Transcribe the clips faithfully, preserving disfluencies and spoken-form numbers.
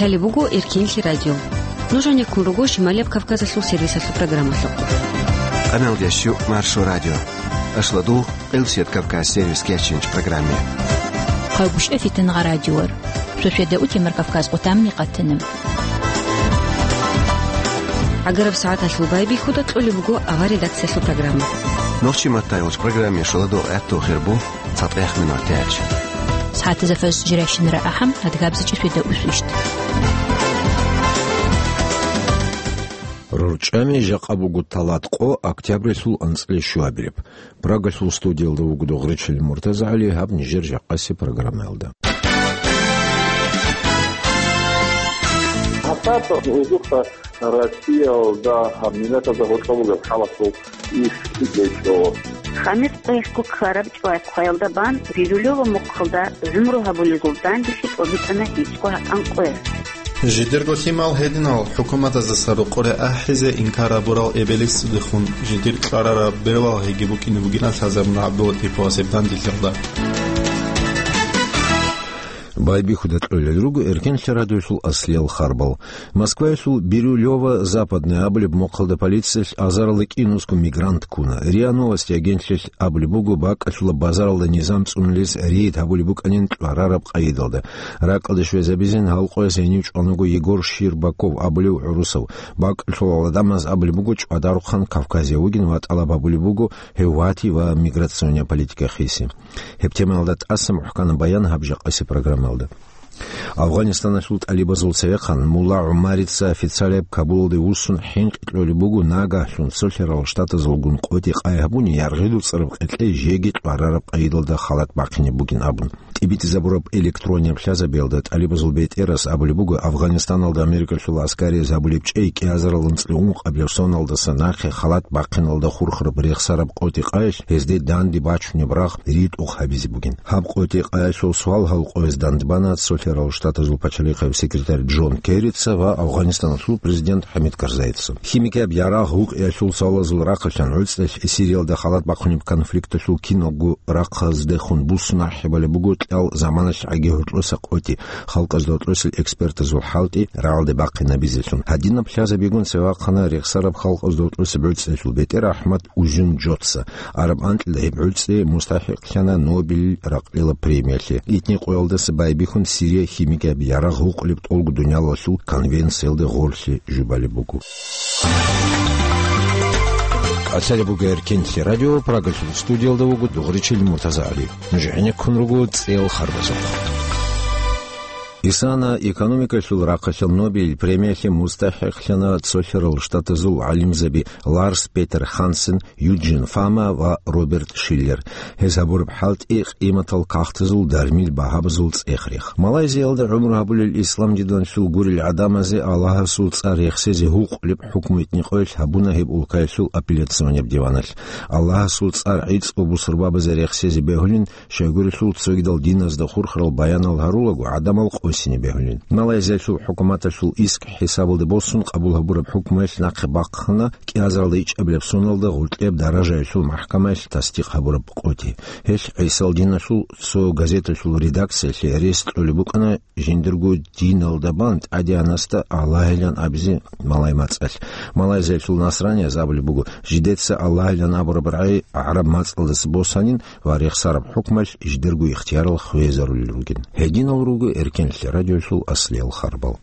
Гьале буго Эркенлъи радио. Нуж гӀенеккун руго Шималияб Кавказалъул сервисалъул программалъухъ. Къамел дящу Маршо радио. Ашладул, Къилсият Кавказ сервис кечинч программе. Хъагушев Фитнагъа радиор. Шошведа утемар Кавказ къутамни къатанам. ГӀагараб сагӀаталъул байбихьуда кьолеб буго авар редакциялъул программа. Нохчи маттайолч программе шаладо гӀатту хирбу. ЦатӀех минутач. СагӀатазда фаз жирайщинара ахӀам, адгабзичӀи светаусвищт. РорчӀами жакъа буго талат къо октябрилъул анцӀила щуабилеб. Прагалъул студиялда вуго Догъричил МуртазагӀали, гьаб нижер жакъаси программаялда. Гьасатас гьезухъа Россиялда гьаб миллатазда гьоркьоб бугеб хӀаласул иш гьечӀо. Хамис къоялъго ккараб чӀвай хъваялда бан Бирулёва мухъалда гӀумру гьабулезул данделъи тӀобитӀана гьечӀго гьатӀан къоялъ. Жидерго лъимал гьединал хӀукуматаздаса рокъоре ахӀизе инкар гьабурал эбелесдехун жидер кьварараб бералгьиги букӀине бугин лъазабун ГӀабдулатиповасеб данделъиялда. Байбихьуда кьолел руго Эркенлъи радиолъул аслиял харбал. Москваялъул Бирюлёво-Западное абулеб мухъалда полициялъ азаралда кӀинусго мигрант ккуна. РИА Новости агентлъилъ абулеб буго, бакӀалъула базаралда низам цӀунулес рейд гьабулеб букӀанин кьварараб къайидалда. Ракьалде щвезабизин гьал къояс гьенив чӀванаго Егор Щербаков абулев гӀурусав. БакӀалъулал гӀадамаз абулеб буго, ЧӀвадарухъан Кавказе вугин ва тӀалаб гьабулеб буго гьев вати ва миграционная политика хиси. Гьеб темаялда тӀаса мухӀканаб баян гьаб жакъаси программаялда. Афганистаналъул тӀалибазул цевехъан Мулла ГӀумарица официалияб Кабулалде вуссун хӀинкъи кьолеб буго нагагьлъун цолъарал штатазулгун къотӀи къай гьабуни, яргъи дуцӀараб къеркьей жеги кьварараб къайидалда халат бахъине бугин абун. ТӀибитӀизабураб электроннияб лъазабиялда тӀалибазул бетӀерас абулеб буго, Афганистаналда Америкалъул аскариз гьабулеб чӀей кӀиазарал анцӀила ункъабилеб соналдаса нахъе халат бахъиналда хурхараб рехсараб къотӀи къайилъ гьезде данде бачунеб рагъ ритӀухъ гьабизе бугин. Гьаб къотӀи къайилъул суал гьал къояз дандбана цолъарал штатазул пачалихъав секретарь Джон Керрица ва Афганистаналъул президент ХӀамид Карзайица. Химикияб ярагъ гьукъиялъул суалазул рахъалъан гӀуцӀрелъ Сириялда халат бахъунеб конфликталъул киналго рахъаздехун буссун ахӀи балеб буго кьал заманалъ гӀаги гьоркьоса къотӀи. Халкъазда гьоркьосел экспертазул хӀалтӀи рагӀалде бахъинабизелъун. Гьадинаб лъазабигун цевахъана рехсараб халкъазда гьоркьосеб гӀуцӀрелъул бетӀер АхӀмад Узюнжоца. Араб анкьида гьеб гӀуцӀри мустахӀикълъана Нобель ракълила премиялъе. Итни къоялдаса байбихьун Сирия химикияб ярагъ гьукъулеб тӀолго дуниялалъул конвенциялда гъорлъе жубалеб буго. КӀалъалеб буго Эркенлъи радио, Прагалъул студиялда вуго Дугъричил МуртазагӀали. Нуж гӀенеккун руго цӀел харбазухъ. Исана экономикалъул рахъалъан Нобель премиялъе мустахӀикълъана цолъарал штатазул гӀалимзаби Ларс Петер Хансен, Юджин Фома ва Роберт Шиллер. Гьез гьабураб хӀалтӀи къиматал кагътазул дармил багьабазул цӀех-рех. Малайзиялда гӀумру гьабулел ислам диналъул гурел гӀадамазе Аллагьасул цӀар рехсезе гьукъулеб хӀукму итни къоялъ гьабуна гьеб улкаялъул апелляционияб диваналъ. Аллагьасул цӀар гӀицӀго бусурбабазе рехсезе бегьулин, щайгурелъул цогидал диназда хурхарал баянал гьарулаго гӀадамал къосине бегьулин. Малайзиялъул хӀукуматалъул иск хӀисабалде босун къабул гьабураб хӀукмуялъ нахъе бахъана кӀиазаралда ичӀабилеб соналда гъоркьеб даражаялъул махӀкамаялъ тасдикъ гьабураб къотӀи. Гьелъ гӀисал диналъул цо газеталъул редакциялъе рес кьолеб букӀана жиндирго диналда бан тӀадегӀанасда Аллагьилан абизе малай мацӀалъ. Малайзиялъул насранияз абулеб буго, жидеца Аллагьилан абураб рагӀи гӀараб мацӀалдаса босанин ва рехсараб хӀукмалъ жидерго ихтиярал хвезарулел ругин. Гьединал руго Эркенлъи радиолъул аслиял харбал.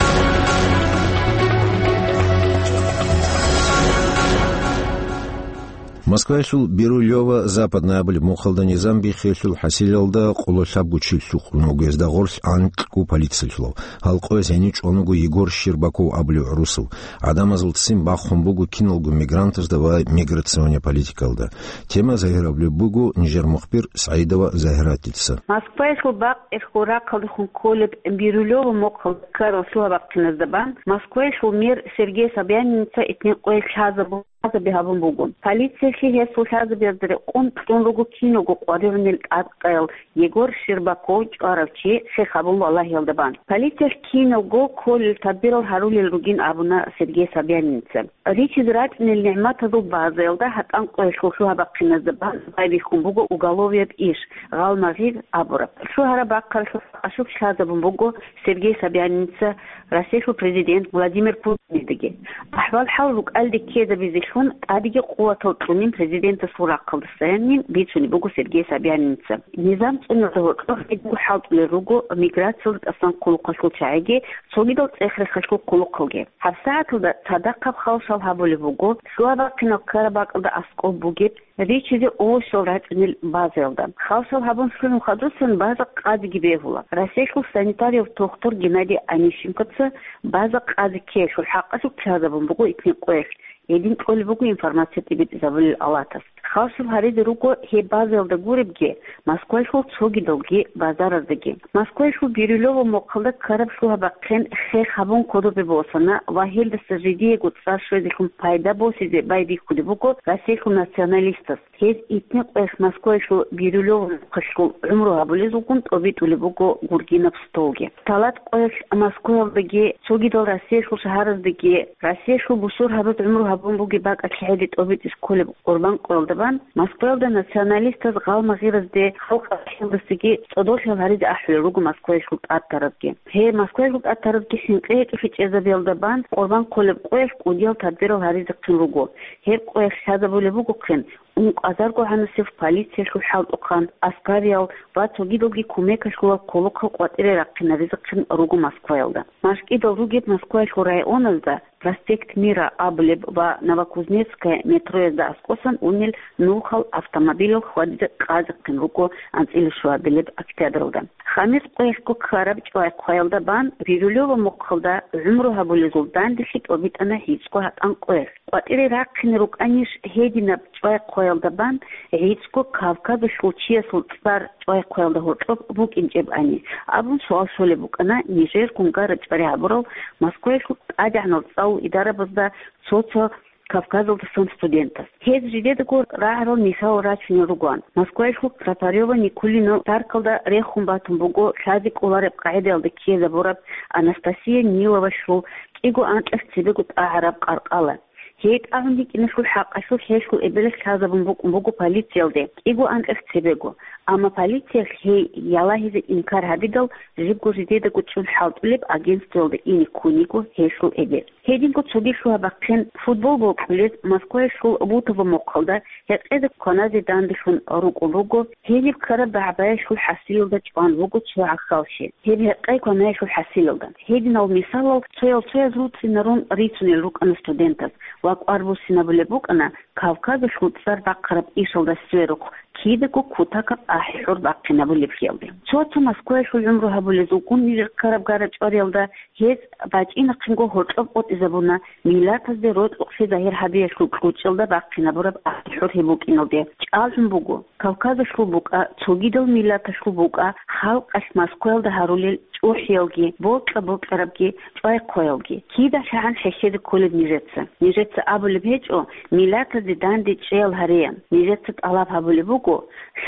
Москваялъул Бирулёво-Западное абулеб мухъалда низам биххиялъул хӀасилалда къоло лъабго чи лъукъун вуго, гьезда гъорлъ анкьго полициялъулав. Гьал къояз гьенив чӀванаго Егор Щербаков абулев гӀурусав. ГӀадамазул ццин бахун буго киналго мигрантазда ва миграционная политикалда. Тема загьирабулеб буго нижер мухбир СагӀидова Загьиратица. Москваялъул бакъ эрхьул рахъалдехун кколеб Бирулёво мухъалда ккарал лъугьа-бахъиназда бан Москваялъул мэр Сергей Собяниница итни къоялъ лъазабун лъазаби гьабун буго. Полициялъе гьесул лъазабиязда рекъон кьун руго киналго къваригӀунел тӀадкъаял Егор Щербаков чӀварав чи хех гьабун валагьиялда бан. Полициялъ киналго кколел тадбирал гьарулел ругин абуна Сергей Собяниница. Ричизе рачӀунел нигӀматазул базаялда гьатӀан къоялъул лъугьа-бахъиназда бан байбихьун буго уголовияб иш, гъалмагъир абураб. Лъугьараб-бахъаралъул хӀакъалъулъ лъазабун буго Сергей Собяниница Россиялъул президент Владимир Путинидеги. АхӀвал-хӀал рукӀалде ккезабизелъун тӀадеги къуватал кьунин президентасул рахъалдасайин бицунеб буго Сергей Собяниница. Низам цӀунулда гьоркьоб гьединго хӀалтӀулел руго миграциялда тӀасан хъулухъалъул чагӀиги, цогидал цӀех-рехалъул хъулухъалги. ГьабсагӀаталда цадахъаб халшал гьабулеб буго лъугьа-бахъинал ккараб бакӀалда аскӀоб бугеб ричизе овощал рачӀунел базаялда. Халшал гьабун лъугӀун хадусан база къадиги бегьула. Россиялъул санитарияб тухтур Геннадий Онищенкоца база къади ккеялъул хӀакъалъулъ лъазабун буго итни къоялъ, гьедин кьолеб буго информация тӀибитӀизабулел алатас. Халшал гьаризе руго гьеб базаялда гуребги, Москваялъул цогидалги базараздаги. Москваялъул Бирюлёво мухъалда ккараб лъугьа-бахъин хех гьабун кодобе босана ва гьелдаса жидеего цӀар щвезелъун пайда босизе байбихьулеб буго Россиялъул националистаз. Гьез итни къоялъ Москваялъул Бирюлёво мухъалъул гӀумру гьабулезулгун тӀобитӀулеб буго гургинаб столги. Талат къоялъ Москваялдаги, цогидал Россиялъул шагьараздаги Россиялъул бусургьабаз гӀумру гьабун бугеб бакӀалъ гьеде тӀобитӀизе кколеб Къурбан къоялда бан, Москваялда националистаз гъалмагъиразде халкъалъулдасаги цӀодорлъи гьаризе ахӀулел руго Москваялъул тӀатаразги. Гьеб Москваялъул тӀатаразги хӀинкъи гьечӀолъи чӀезабиялда бан Къурбан хъолеб къоялъ кӀудиял тадбирал гьаризехъин руго. Гьеб къоялъ лъазабулеб бугохъин ункъазарго гьанасев полициялъул хӀалтӀухъан аскариял ва цогидалги кумекалъулал хъулухъал къватӀире рахъинаризехъин руго Москваялда. МашкӀидал ругеб Москваялъул районазда Проспект Мира абулеб ва Новокузнецкая метроязда аскӀосан унел нухал автомобилал хьвадизе къазехъин руго анцӀила щуабилеб октябралда. Хамис къоялъго ккараб чӀвай хъваялда бан Бирюлёво мухъалда гӀумру гьабулезул данделъи тӀобитӀана гьицӀго гьатӀан къоялъ. КъватӀире рахъине рукӀанищ гьединаб чӀвай хъваялда бан гьицӀго Кавказалъул чиясул цӀар чӀвай хъваялда гьоркьоб букӀинчӀебани абун суал щолеб букӀана нижер гунгарачӀвари гьабурал Москваялъул тӀадегӀанал цӀалул идарабазда цо-цо Кавказалдасан студентас. Гьез жидедаго рагӀарал мисалал рачунел ругоан. Москваялъул Тропарёво-Никулино паркалда рехун батун буго лъазе кӀолареб къагӀидаялда ккезабураб Анастасия Ниловалъул кӀиго анкьалъ цебего тӀагӀараб къаркъала. Гьей тӀагӀун йикӀиналъул хӀакъалъулъ гьелъул эбелалъ лъазабун букӀун буго полициялде кӀиго анкьалъ цебего, амма полициялъ гьей ялагьизе инкар гьабидал, жибго жидедаго чӀун хӀалтӀулеб агентствоялда ине ккун йиго гьелъул эбел. Гьединго цоги лъугьа-бахъин футбол бокьулез Москваялъул Бутово мухъалда гьекъезе кваназе данделъун рукӀун руго, гьениб ккараб багӀбаялъул хӀасилалда чӀван вуго цо гӀахьаллъи. Гьеб гьекъей кванаялъул хӀасилалда. Гьединал мисалал цоял-цояз руцӀцӀинарун рицунел рукӀана студентаз ва кӀвар буссинабулеб букӀана Кавказалъул цӀар бахъараб ишалда сверухъ кидаго кутакаб ахӀи-хӀур бахъинабулеблъиялде. Цо-цо Москваялъул гӀумру гьабулезулгун нижер ккараб гара-чӀвариялда гьез бачӀинахъинго гьоркьоб къотӀизабуна миллатазде рокьукълъи загьир гьабиялъул кьучӀалда бахъинабураб ахӀи-хӀур гьеб букӀиналде. ЧӀалгӀун буго, Кавказалъул букӀа, цогидал миллаталъул букӀа, халкъалъ Москваялда гьарулел чӀухӀиялги, бокьа-бокьарабги, чӀвай-хъваялги. КидалъагӀан хӀехьезе кколеб нижеца? Нижеца абулеб гьечӀо, миллатазде данде чӀеял гьареян. Нижеца тӀалаб гьабулеб буго,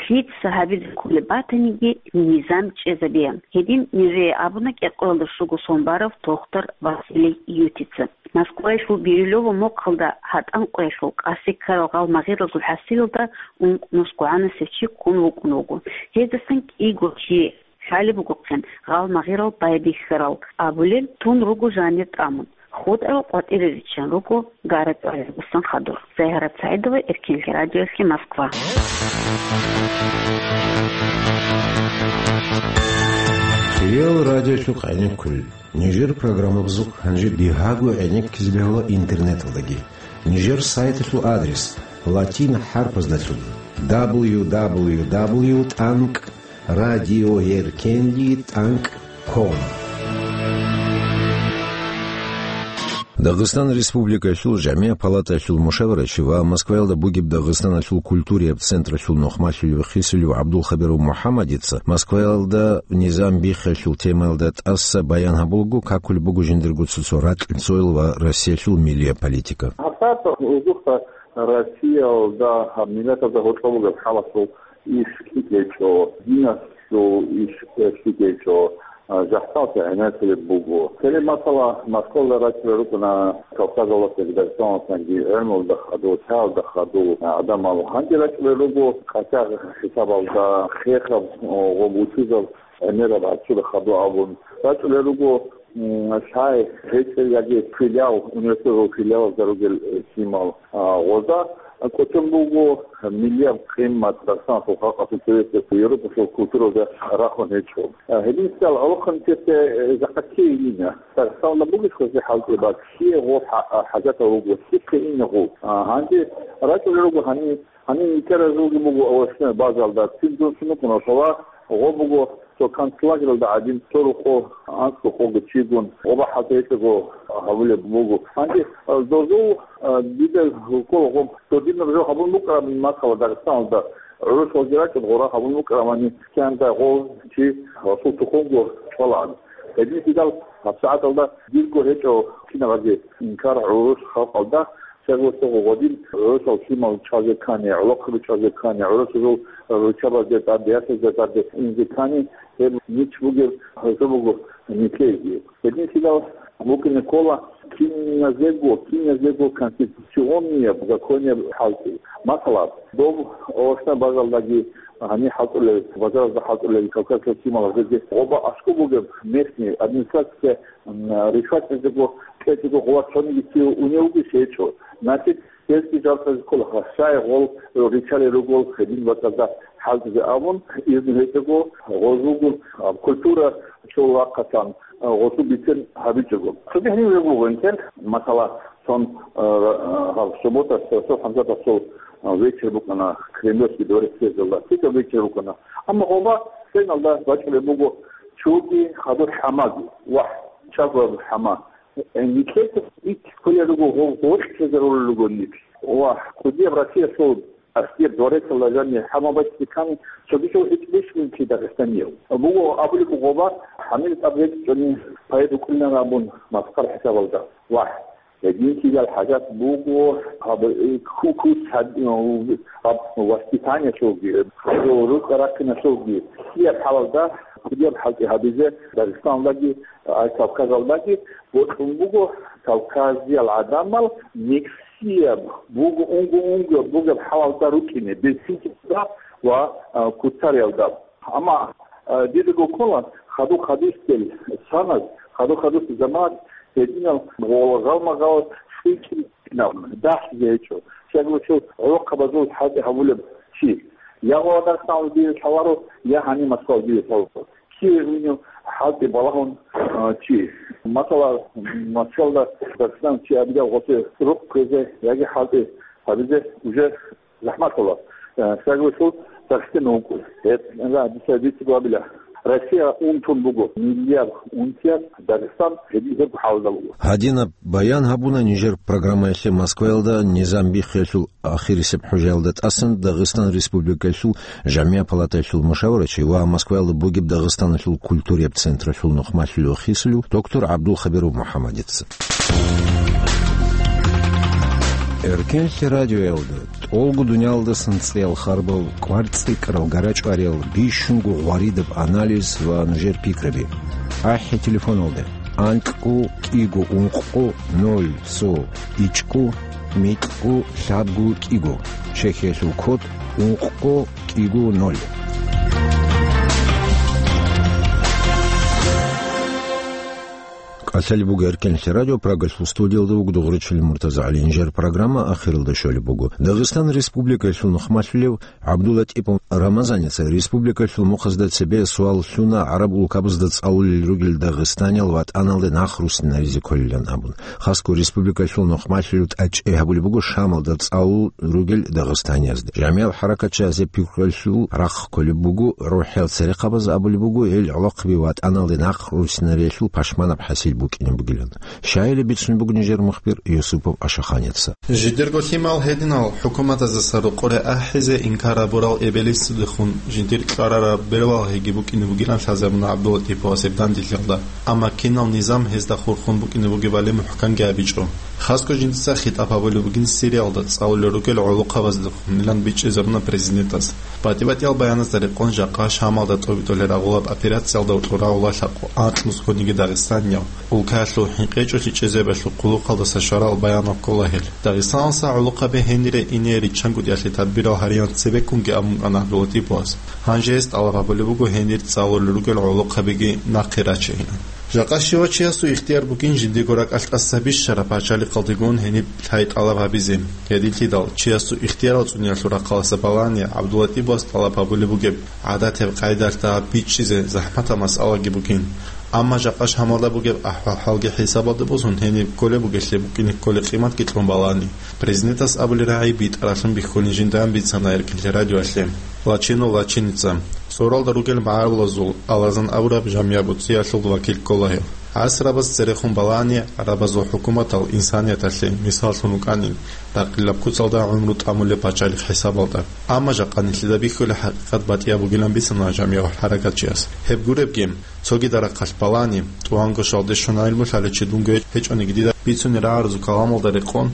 лъица гьабизе кколеб батаниги, низам чӀезабеян. Гьедин нижее абуна кӀикъоялда щуго сон барав тохтар Василий Ютица. Москваялъул Бирюлёво мухъалда гьатӀан къоялъул къаси ккарал гъалмагъиралъул хӀасилалда ункънусгогӀанасев чи ккун вукӀун вуго. Гьездасан кӀиго чи лъалеб бугохъин гъалмагъирал байбихьарал абулел, тун руго жанир тӀамун. ХутӀарал къватӀире риччан руго гара-чӀвари гӀадусан хадур. Загьарат СагӀидова, Эркинлъи радиоялъе, Москва. Кирилл радиолъухъ гӀенеккулел. Нижер программабазухъ гьанже бигьаго гӀенеккизе бегьула интернеталдаги. Нижер сайталъул адрес латин хӀарпаздалъун: дабл ю дабл ю дабл ю тӀанкӀ радиоеркенлъи тӀанкӀ ком. Дагъистан Республикалъул Жамигъ палаталъул мушаварачи ва Москваялда бугеб Дагъистаналъул культураяб централъул нухмалъулев хисулев ГӀабдулхабиров МухӀаммадица Москваялда низам биххиялъул темаялда тӀаса баян гьабулаго, какулеб буго жиндирго цо-цо ракьцоял ва Россиялъул милияб политика. ТӀатӀа узухъа Россиялда гьаб миллатазда гьоркьоб бугеб хӀалалъул иш лъикӀ гьечӀо, диналъул иш лъикӀ гьечӀо, а, жахӀаллъи гӀенеккулеб буго. Цере масала, Москвалда рачӀунел рукӀана Кавказалдасаги, Дагъистаналдасаги, гӀелмуялда хадув, лъаялда хадув гӀадамал. Гьанже рачӀунел руго къачагъ хӀисабалда, хехаб, о, гъоб вучузаб гӀемераб гӀарцуда хадув абун. РачӀунел руго, м, лъай гьечӀел яги филиал, университеталъул филиалазда ругел, э, лъимал. А, гъозда кӀочон буго, миллияб къимат Дагъистаналъул халкъалъул цебесеб Европалъул культураялда рахун гьечӀо. А, гьединлъидал гӀолохъанчияс, э, жакъа ккей ина. Дагъистаналда бугищ гъозе хӀалтӀи, бакӀ, ккей гъо хӀа-, а, хӀажатав вуго, ккей ина гъо. А, гьанже рачӀунел руго гьанив, гьанив никеразулги буго овощная базалда, цин дун сунукъун ошала, гъо буго цо концлагералда гӀадин, цо рукъо, анцӀго къого чигун, гъоба хӀалтӀи гьечӀого гьабулеб буго. Гьанже, а, дозул, а, дида ккола гъоб. Додинаб жо гьабун букӀараб масала Дагъистаналда гӀурусалги рачӀун гъора гьабун букӀарабани, кканила гъо чи расул тухумго чӀвалаан. Гьединлъидал гьабсагӀаталда дирго гьечӀо кинабазе инкар гӀурус халкъалда, щай гурелъул гъодин гӀурусал лъимал чӀвазе ккани, гӀолохъаби чӀвазе ккани, гӀурусазул руччабазде тӀаде, ясазде тӀаде инзе ккани, гьеб нич бугеб гьезул буго никеги. Гьединлъидал букӀине ккола киназего, киназего конституционнияб, законияб хӀалтӀи. Масала, доб овощная базалдаги гьаниб хӀалтӀулел, базаразда хӀалтӀулел кавказалъул лъималаздаги гъоба аскӀоб бугеб местный администрация, м, ришват гьезего кьечӀого гъоба цониги чи унев вугищ гьечӀо. Значит, гьезги жал кьезе ккола, щай гъол ричалел ругел гьедин бакӀалда хӀалтӀизе абун, изну гьечӀого гъозулгун, а, культура цо вахъасан, а, гъозул бицен гьабичӀого. Цоги гьенив регулгъунтел, масала, сон, а, а, гьаб суббота, Расул ХӀамзатасул, а, вечер букӀана Кремлевский дворец съездалда. ЛъикӀаб вечер букӀана. Амма гъоба сценалда бачӀулеб буго чуги хадур хӀамаги, вагь, чагояб хӀама. Э, нилъеца ит кколел руго, гъо-, гъоркьлъизарулел руго нилъ. Ва кӀудияб Россиялъул аскер дворецалда жаниб хӀама бачӀизе ккани, цогидал гьечӀебищ нилъ Дагъистанияв? Буго абулеб буго, ва гьанир тӀад рекӀчӀони поэт вукӀунилан абун, маскъар хӀисабалда. Вагь, гьединлъидал хӀажат буго, гьаб, э, ху-, ху-, гьаб, гьаб воспитаниялъулги, гьаб рукъа-рахъиналъулги, кӀудияб хӀалалда, кӀудияб хӀалтӀи гьабизе Дагъистаналдаги, а, Кавказалдаги бокьун буго Кавказиял гӀадамал миксияб буго, унго-унго бугеб хӀалалда рукӀине, бецинлъиялда ва, а, куцариялда. Амма, а, дидаго ккола, хадуб-хадусел саназ, хадуб-хадусел заманас гьединал гъола гъалмагъал цӀикӀкӀинаб, дагьлъизе гьечӀо. Щай гурелъул гӀолохъабазул хӀалтӀи гьабулеб чи я гъола Дагъистаналда диде лъаларо, я гьаниб Москвалда диде лъаларо. Киве гьунив хӀалтӀи балагьун, а, чи. Масала, Москвалда Дагъистан чи абидал гъосе рукъ кквезе яги хӀалтӀи гьабизе уже захӀматала. Э, щай гурелъул Дагъистан вукӀун. Гьеб, ла, дица дицаго абила. Россия унтун буго, миллиард унтияб, Дагъистан гьедин гьеб хӀалда буго. Гьадинаб баян гьабуна нижер программаялъе Москваялда низам биххиялъул ахирисеб хӀужаялда тӀасан Дагъистан Республикаялъул ЖамигӀа палатаялъул мушаварачи ва Москваялда бугеб Дагъистаналъул культураяб централъул нухмалъулев хисулев доктор ГӀабдулхабиров МухӀаммадица. Эркенлъи радиоялда тӀолго дуниялдасан цӀиял харбал, кӀвар-цӀикӀкӀарал, гарачӀвариял, бищунго гъваридаб анализ ва нужер пикраби. АхӀи телефоналда: анкьго кӀиго ункъго ноль цо ичӀго микьго лъабго кӀиго, Чехиялъул код ункъго кӀиго ноль. КӀалъалеб буго Эркенлъи радио, Прагалъул студиялда вуго Дугъричилин МуртазагӀали. Нижер программа ахиралда щолеб буго. Дагъистан Республикаялъул нухмалъулев ГӀабдуллатӀипов Рамазаница республикалъул мухъазда цебе суал лъуна гӀараб улкабазда цӀалулел ругел дагъистаниял ватӀаналде нахъ руссинаризе кколилан абун. Хасго республикалъул нухмалъулев тӀадчӀей гьабулеб буго Шамалда цӀалул ругел дагъистаниязда. ЖамигӀал хӀаракатчиясе пикрулъул рахъ кколеб буго, рухӀиял церехъабаз абулеб буго, гьел гӀолохъаби ватӀаналде нахъ руссинариялъул пашманаб хӀасил букӀине бугилан. Щайилеб бицунеб буго нижер мухбир Юсупов Ашаханица. Жидерго лъимал гьединал хӀукуматаздаса рокъоре ахӀизе инкар гьабурал эбелицудехун жидер кьварараб бералгьиги букӀине бугилан лъазабуна ГӀабдуллатӀиповас гьеб дандилъиялда, амма кинал низам гьезда хурхун букӀине бугебали мухӀканги абичӀо. Хасго жинца хитӀаб гьабулеб бугин Сириялда цӀалулел ругел гӀолохъабаздехунилан бичӀчӀизаруна президентас. БатӀи-батӀиял баяназда рекъон жакъа Шамалда тӀобитӀулел рагъулаб операциялда вукьурагъула лъакъо анкьнусгониги дагъистанияв. Улкаялъул хӀинкъичӀолъи чӀезабиялъул хъулухъалдаса щварал баянал ккола гьел. Дагъистаналса гӀолохъаби гьенире ине риччанго тӀиялъе тадбирал гьариялан цебеккунги абун кӀана ГӀабдуллатӀипас. Гьанже гьес тӀалаб гьабулеб буго гьенир цӀалулел ругел гӀолохъабиги нахъе рачейилан. Жакъа щивав чиясул ихтияр бугин жиндиего ракӀалъ тӀаса бищараб пачалихъалдегун гьениб лъай тӀалаб гьабизе. Гьединлъидал чиясул ихтиярал цӀуниялъул рахъалъа балани ГӀабдуллатӀипас тӀалаб гьабулеб бугеб гӀадатаб къайдалъ дагьаб бичӀчӀизе захӀматаб масъалаги бугин. Амма жакъа Шамалда бугеб ахӀвал-хӀалги хӀисабалда босун гьениб кколеб бугелъе букӀине кколеб къиматги кьун балани. Президентас абулеб рагӀи битӀаралъун бихьулин жиндан бицана Эркинлъи радиоялъе. Лачинов Лачиница. Цоралда ругел магӀарулазул Алазан абураб жамигӀат буцӀиялъул вакил ккола гьев. ГӀасрабаз церехун балани гӀарабазул хӀукуматал инсанияталъе мисаллъун вукӀанин, ракъилаб куцалда гӀумру тӀамулеб пачалихъ хӀисабалда. Амма жакъа нилъеда бихьулеб хӀакъикъат батӀияб бугилан бицана жамигӀ хӀаракатчияс. Гьеб гуребги, цогидал рахъалъ балани, тӀуванго щвалде щун гӀелму лъалев чи дунго гьечӀониги, дида бицунеб рагӀарабазул каламалда рекъон,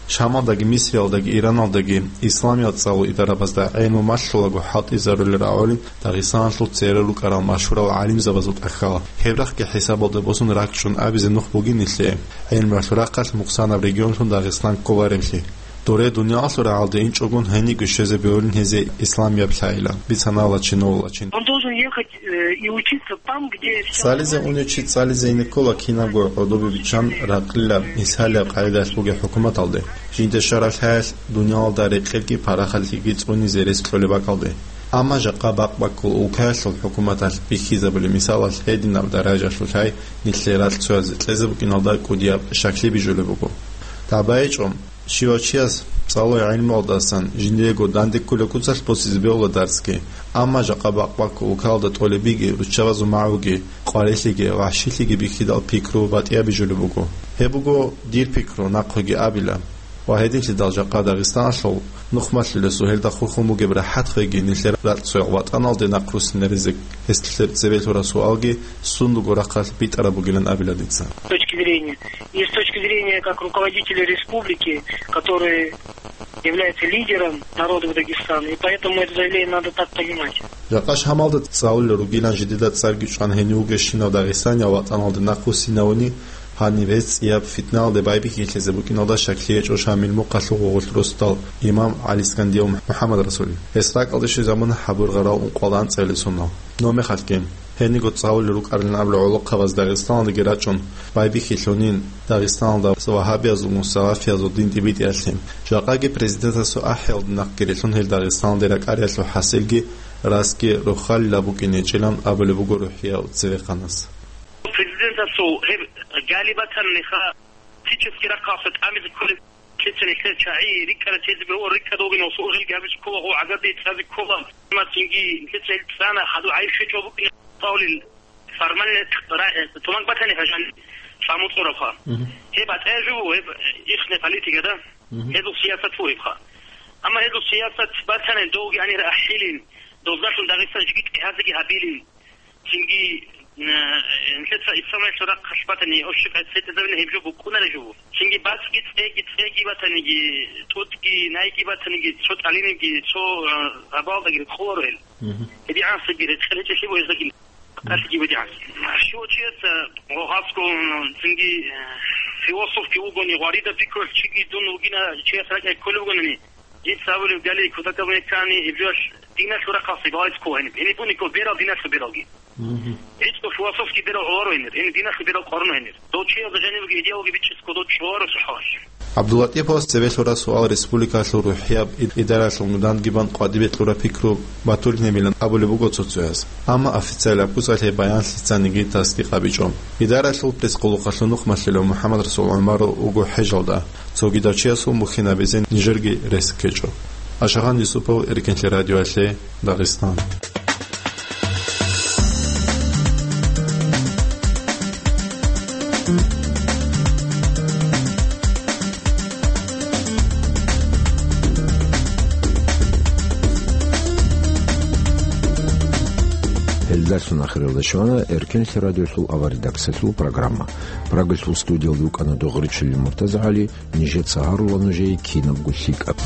Шамалдаги, Мисриялдаги, Ираналдаги исламиял цӀалул идарабазда гӀелму малъулаго хӀалтӀизарулел рагӀулин Дагъистаналъул церер рукӀарал машгьурал гӀалимзабазул тӀахьал. Гьеб рахъги хӀисабалда босун ракӀчӀун абизе нух бугин нилъее. ГӀелмуялъул рахъалъ мукъсанаб регионлъун Дагъистан кколаревлъи. Доре дуниялалъул рагӀалде инчӀогун гьениго щвезе бегьулин гьезие исламияб лъайилан, бицана Лачинов Лачин. Он должен ехать, э, и учиться там, где вся... Цализе унев чи цализе ине ккола кинабго гӀодобе биччан ракъилаб, мисалияб къагӀидаялъ бугеб хӀукуматалде. Жинда щвараб лъаялъ дуниялалда рекъелги парахалъиги цӀунизе рес кьолеб бакӀалде. Амма жакъа бакъ-баккул улкаялъул хӀукуматалъ бихьизабулеб мисалалъ гьединаб даражалъул лъай нилъее ракь цоязе кьезе букӀиналда кӀудияб щаклъи бижулеб буго. ДагӀба гьечӀо, щивав чияс цӀалуе гӀелмуялдасан жиндиего данде кколеб куцалъ босизе бегьула дарсги, амма жакъа бакъ-баккул улкаялда тӀолебиги, руччабазул магӀуги, къварилъиги, вагьшилъиги бихьидал пикру батӀияб бижулеб буго. Гьеб буго дир пикру, нахъеги абила. Ва гьединлъидал жакъа Дагъистаналъул нухмалъулесул гьелда хурхун бугеб рахӀат хвеги, нилъер ракьцоял ватӀаналде нахъ руссинаризе гьесулъе цебе лъураб суалги сундуго рахъалъ битӀараб бугилан абила дица. С точки зрения, и с точки зрения как руководителя республики, который является лидером народов Дагестана, и поэтому это заявление надо так понимать. Жакъа Шамалда цӀалулел ругилан жидеда цӀарги чӀван гьенив вугевщинав дагъистанияв ватӀаналде нахъ руссинавуни, гьанив гьес цӀияб фитналде байбихьилъизе букӀиналда щаклъи гьечӀо Шамил мухъалъул гъугъулъ росдал имам ГӀалискандиев МухӀаммад Расулин. Гьес ракӀалде щвезабуна гьабургъарал ункъоялда анцӀабилеб соналъ. Нумехалъги, гьениго цӀалулел рукӀарилан абулел гӀолохъабаз Дагъистаналдеги рачӀун, байбихьилъунин, Дагъистаналда вагьабиязул, мусалафиязул дин тӀибитӀиялъе. Жакъаги президентасул ахӀиялда нахъги рилълъун гьел Дагъистаналде ракӀариялъул хӀасилги расги рохалила букӀинечӀилан абулеб буго рухӀияв цевехъанас. Президентасул гьеб гали батаниха, физически рахъалъа тӀамизе кколеб, лъица нилъер чагӀи рикӀкӀараб тезе бегьула, рикӀкӀад вугин ва сугӀил гьабиз ккола гъо гӀагарде цӀазе ккола. Ма цинги лъица ил цӀана, хадур гӀайиб щвечӀо букӀин цӀалулел формальный ра-, тумак батани хӀажан цӀамуцӀурабха. Мгм. Гьеб батӀаяб жо буго, гьеб ихне политика, да? Мгм. Гьезул сиясат буго гьебха. Амма гьезул сиясат батани, довги гьанир ахӀилин, доздалъун Дагъистан жиги тӀегьазеги гьабилин. Цинги, э, нилъеца исламалъул рахъалъ батани, общий къайд цӀетӀизабина гьеб жо букӀунареб жо. Цинги бацӀги цӀеги, цӀеги батаниги, тӀутӀги, найги батаниги, цо тӀалиниги, цо, э, гьабалдаги рекъоларо гьел. Мгм. ГьедигӀансаги рекъечӀелъи бугездаги, тӀалъиги бугеан. Щивав чияс, э, гъо-, гъасго, м, цинги, э, философги вугони, гъварида пикрулъ чиги дун вугина, чияс ракӀалде кколев вугони, дица абулеб гали кутакаб меккани, гьеб жоялъ диналъул рахъалъе балагьизе ккола гьениб. Гьениб буниго берал диналъул бералги. Мгм. ГьечӀо философский берал гӀоларо гьенир, гьениб диналъул берал къварано гьенир. Дов чиял жанивги идеологи бичӀчӀесго дов чӀоларо сухӀалалъ. ГӀабдуллатӀиповас цебе лъураб суал республикалъул рухӀияб и-, идаралъул нуданги бан къватӀибе кьураб пикру батулинабилан абулеб буго цо-цояз. Амма официалаб куцалъе баян лъицаниги тасдикъ гьабичӀо. Идаралъул пресс-къулухъалъул нухмалъулев МухӀаммадрасул ГӀумаров вуго хӀежалда. Цогидав чиясул бухьинабизе нижерги рес ккечӀо. Ашагъан Юсупов, Эркинлъи радиоялъе, Дагъистан. Гьелдалъун ахиралда щвана Эркенлъи радиолъул аварредакциялъул программа. Прагалъул студиялда вукӀана Догъричилин МуртазагӀали, нижеца гьарула нужее кинабго лъикӀаб.